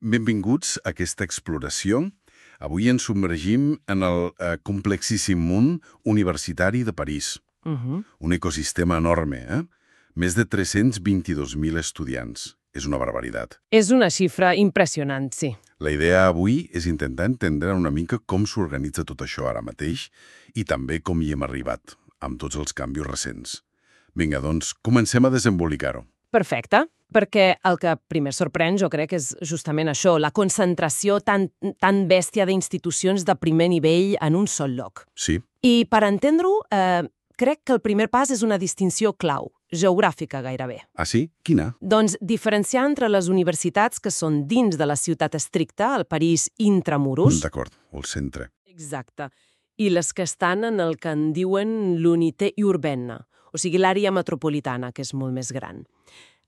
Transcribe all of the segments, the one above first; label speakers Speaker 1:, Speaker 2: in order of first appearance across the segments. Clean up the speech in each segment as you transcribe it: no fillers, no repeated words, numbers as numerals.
Speaker 1: Benvinguts a aquesta exploració. Avui ens submergim en el complexíssim món universitari de París. Un ecosistema enorme, Més de 322.000 estudiants. És una barbaritat.
Speaker 2: És una xifra impressionant, sí.
Speaker 1: La idea avui és intentar entendre una mica com s'organitza tot això ara mateix i també com hi hem arribat, amb tots els canvis recents. Vinga, doncs, comencem a desembolicar-ho.
Speaker 2: Perfecte, perquè el que primer sorprèn, jo crec, és justament això, la concentració tan bèstia d'institucions de primer nivell en un sol lloc.
Speaker 1: Sí.
Speaker 2: I per entendre-ho, crec que el primer pas és una distinció clau, geogràfica gairebé.
Speaker 1: Ah, sí? Quina?
Speaker 2: Doncs diferenciar entre les universitats que són dins de la ciutat estricta, el París intramuros.
Speaker 1: D'acord, o el centre.
Speaker 2: Exacte. I les que estan en el que en diuen l'unité urbaine, o sigui, l'àrea metropolitana, que és molt més gran.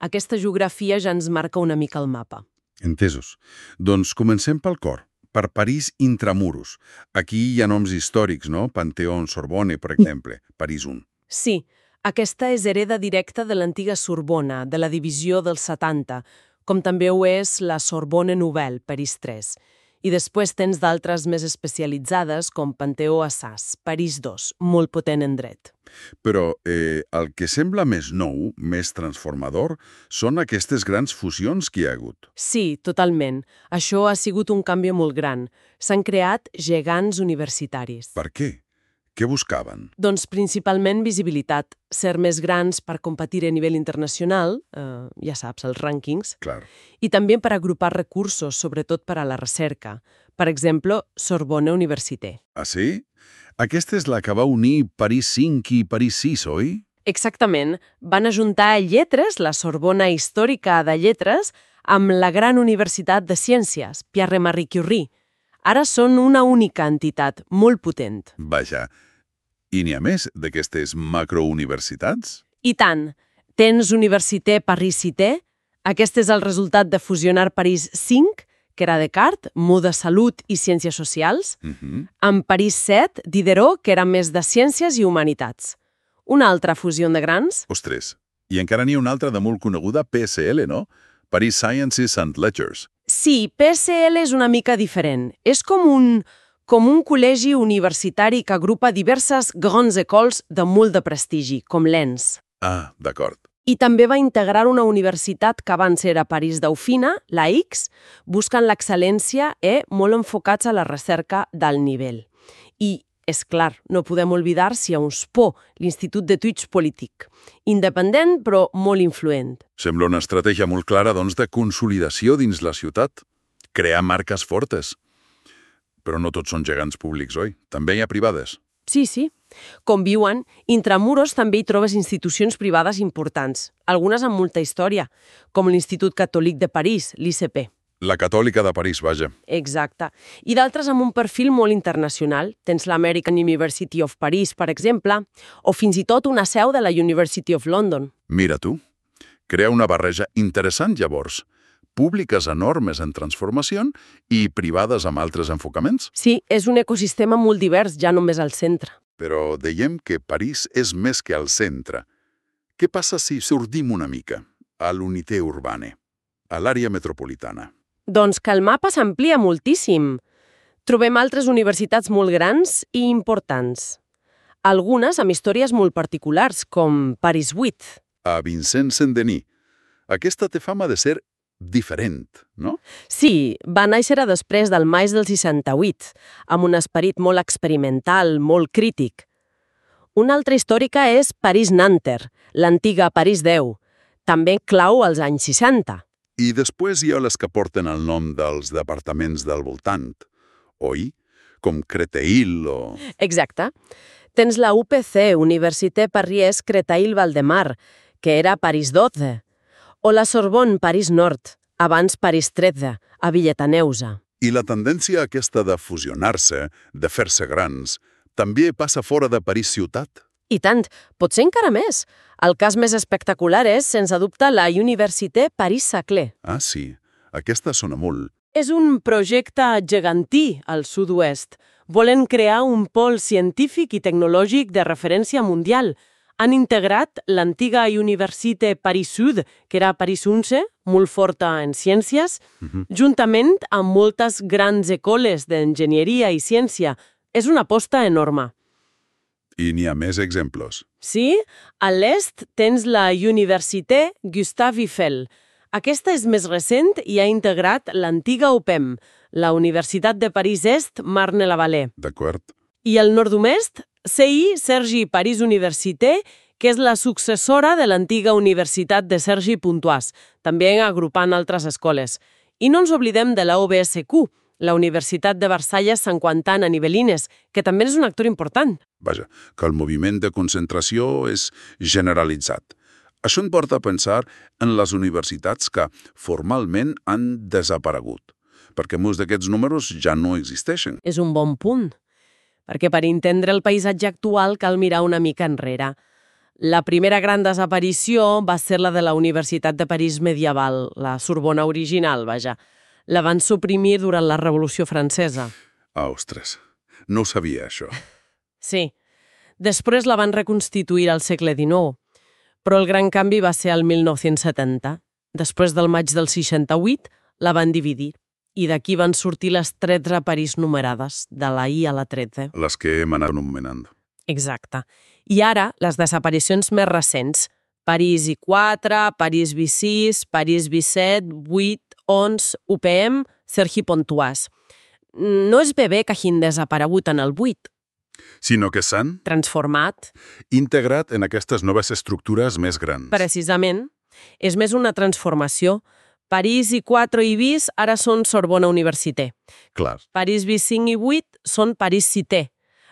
Speaker 2: Aquesta geografia ja ens marca una mica el mapa.
Speaker 1: Entesos. Doncs comencem pel cor. Per París intramuros. Aquí hi ha noms històrics, no? Panteón, Sorbonne, per exemple. París 1.
Speaker 2: Sí, aquesta és hereda directa de l'antiga Sorbona, de la divisió dels 70, com també ho és la Sorbonne Nouvelle, París 3. I després tens d'altres més especialitzades, com Panteó Assas, París 2, molt potent en dret.
Speaker 1: Però el que sembla més nou, més transformador, són aquestes grans fusions que hi ha hagut.
Speaker 2: Sí, totalment. Això ha sigut un canvi molt gran. S'han creat gegants universitaris.
Speaker 1: Per què? Què buscaven?
Speaker 2: Doncs principalment visibilitat, ser més grans per competir a nivell internacional, ja saps, els rànquings,
Speaker 1: Clar.
Speaker 2: i també per agrupar recursos, sobretot per a la recerca. Per exemple, Sorbonne Université.
Speaker 1: Ah, sí? Aquesta és la que va unir París 5 i París 6, oi?
Speaker 2: Exactament. Van ajuntar lletres, la Sorbona històrica de lletres, amb la gran universitat de ciències, Pierre-Marie Curie. Ara són una única entitat, molt potent.
Speaker 1: Vaja. I n'hi ha més d'aquestes macrouniversitats?
Speaker 2: I tant. Tens Université Paris-Cité. Aquest és el resultat de fusionar París 5, que era Descartes, moda, salut i ciències socials, amb París 7, Diderot, que era més de ciències i humanitats. Una altra fusió de grans?
Speaker 1: Ostres, i encara n'hi ha una altra de molt coneguda, PSL, no? Paris Sciences and Letters.
Speaker 2: Sí, PSL és una mica diferent. És com un col·legi universitari que agrupa diverses grandes écoles de molt de prestigi, com l'ENS.
Speaker 1: Ah, d'acord.
Speaker 2: I també va integrar una universitat que abans era París Dauphina, la X, buscant l'excel·lència i molt enfocats a la recerca d'alt nivell. I, és clar, no podem oblidar Sciences Po, l'Institut d'Etudes Polítics. Independent, però molt influent.
Speaker 1: Sembla una estratègia molt clara, doncs, de consolidació dins la ciutat. Crear marques fortes. Però no tots són gegants públics, oi? També hi ha privades.
Speaker 2: Sí. Com viuen, intramuros també hi trobes institucions privades importants, algunes amb molta història, com l'Institut Catòlic de París, l'ICP.
Speaker 1: La Catòlica de París, vaja.
Speaker 2: Exacte. I d'altres amb un perfil molt internacional. Tens l'American University of Paris, per exemple, o fins i tot una seu de la University of London.
Speaker 1: Mira tu. Crea una barreja interessant, llavors. Públiques enormes en transformació i privades amb altres enfocaments.
Speaker 2: Sí, és un ecosistema molt divers, ja només al centre.
Speaker 1: Però dèiem que París és més que al centre. Què passa si sortim una mica a l'unité urbana, a l'àrea metropolitana?
Speaker 2: Doncs que el mapa s'amplia moltíssim. Trobem altres universitats molt grans i importants. Algunes amb històries molt particulars, com París 8.
Speaker 1: A Vincent Saint-Denis. Aquesta té fama de ser diferent, no?
Speaker 2: Sí, va néixer després del maig del 68, amb un esperit molt experimental, molt crític. Una altra històrica és París-Nanterre, l'antiga París 10, també clau als anys 60.
Speaker 1: I després hi ha les que porten el nom dels departaments del voltant, oi? Com Créteil o...
Speaker 2: Exacte. Tens la UPC, Université Paris Créteil-Valdemar, que era París 12, o la Sorbonne París Nord, abans París 13, a Villetaneusa.
Speaker 1: I la tendència aquesta de fusionar-se, de fer-se grans, també passa fora de París ciutat?
Speaker 2: I tant, potser encara més. El cas més espectacular és, sense dubte, la Université Paris-Saclay.
Speaker 1: Ah, sí. Aquesta sona molt.
Speaker 2: És un projecte gegantí al sud-oest. Volen crear un pol científic i tecnològic de referència mundial. Han integrat l'antiga Université Paris Sud, que era Paris 11, molt forta en ciències, juntament amb moltes grans escoles d'enginyeria i ciència. És una aposta enorme.
Speaker 1: I n'hi ha més exemples.
Speaker 2: Sí, a l'est tens la Université Gustave Eiffel. Aquesta és més recent i ha integrat l'antiga UPEM, la Universitat de París Est Marne-la-Vallée.
Speaker 1: D'acord.
Speaker 2: I al nord-oest, CI Cergy Paris Université, que és la successora de l'antiga Universitat de Cergy Pontoise, també agrupant altres escoles. I no ens oblidem de la UBSQ, la Universitat de Versalles Sant Quentin a Nibelines, que també és un actor important.
Speaker 1: Vaja, que el moviment de concentració és generalitzat. Això em porta a pensar en les universitats que formalment han desaparegut, perquè molts d'aquests números ja no existeixen.
Speaker 2: És un bon punt, perquè per entendre el paisatge actual cal mirar una mica enrere. La primera gran desaparició va ser la de la Universitat de París medieval, la Sorbona original, vaja. La van suprimir durant la Revolució Francesa.
Speaker 1: Ostres, no ho sabia, això.
Speaker 2: Sí. Després la van reconstituir al segle XIX, però el gran canvi va ser al 1970. Després del maig del 68, la van dividir. I d'aquí van sortir les 13 París numerades, de la I a la 13.
Speaker 1: Les que hem anat anomenant.
Speaker 2: Exacte. I ara, les desaparicions més recents. París I4, París V6, París V7, 8, 11, UPM, Cergy Pontoise. No és bé que hagin desaparegut en el 8.
Speaker 1: Sinó que s'han
Speaker 2: Transformat.
Speaker 1: integrat en aquestes noves estructures més grans.
Speaker 2: Precisament. És més una transformació. París I4 i VIS ara són Sorbona Université.
Speaker 1: Clar.
Speaker 2: París V5 i 8 són París Cité.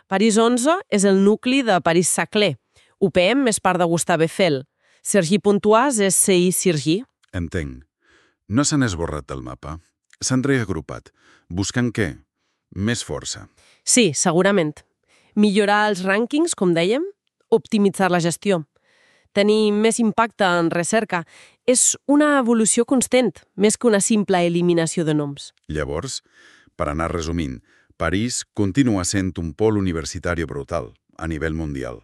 Speaker 2: París 11 és el nucli de París-Saclay. UPM és part de Gustave Eiffel. Cergy Pontoise és CI Cergy.
Speaker 1: Entenc. No s'han esborrat del mapa. S'han reagrupat. Buscant què? Més força.
Speaker 2: Sí, segurament. Millorar els rànquings, com dèiem, optimitzar la gestió. Tenir més impacte en recerca és una evolució constant, més que una simple eliminació de noms.
Speaker 1: Llavors, per anar resumint, París continua sent un pol universitari brutal, a nivell mundial.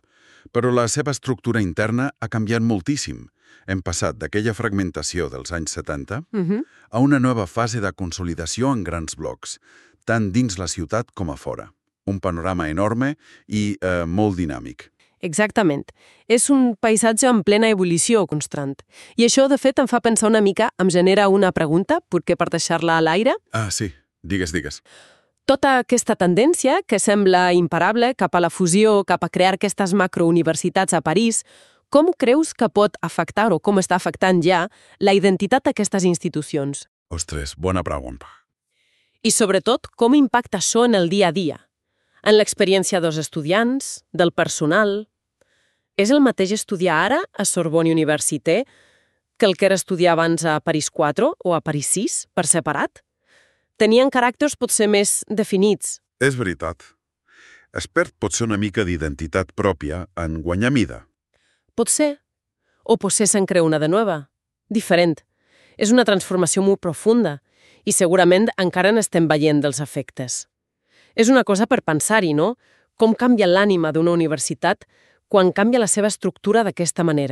Speaker 1: Però la seva estructura interna ha canviat moltíssim. Hem passat d'aquella fragmentació dels anys 70 a una nova fase de consolidació en grans blocs, tant dins la ciutat com a fora. Un panorama enorme i molt dinàmic.
Speaker 2: Exactament. És un paisatge en plena ebullició constant. I això, de fet, em fa pensar una mica, em genera una pregunta, potser per deixar-la a l'aire.
Speaker 1: Ah, sí. Digues.
Speaker 2: Tota aquesta tendència, que sembla imparable cap a la fusió, cap a crear aquestes macrouniversitats a París, com creus que pot afectar, o com està afectant ja, la identitat d'aquestes institucions?
Speaker 1: Ostres, bona pregunta.
Speaker 2: I sobretot, com impacta això en el dia a dia? En l'experiència dels estudiants, del personal. És el mateix estudiar ara a Sorbonne Université que el que era estudiar abans a París 4 o a París 6, per separat? Tenien caràcters potser més definits.
Speaker 1: És veritat. Es perd potser una mica d'identitat pròpia en guanyar mida.
Speaker 2: Pot ser. O potser se'n creu una de nova. Diferent. És una transformació molt profunda i segurament encara n'estem veient dels efectes. És una cosa per pensar-hi, no? Com canvia l'ànima d'una universitat quan canvia la seva estructura d'aquesta manera.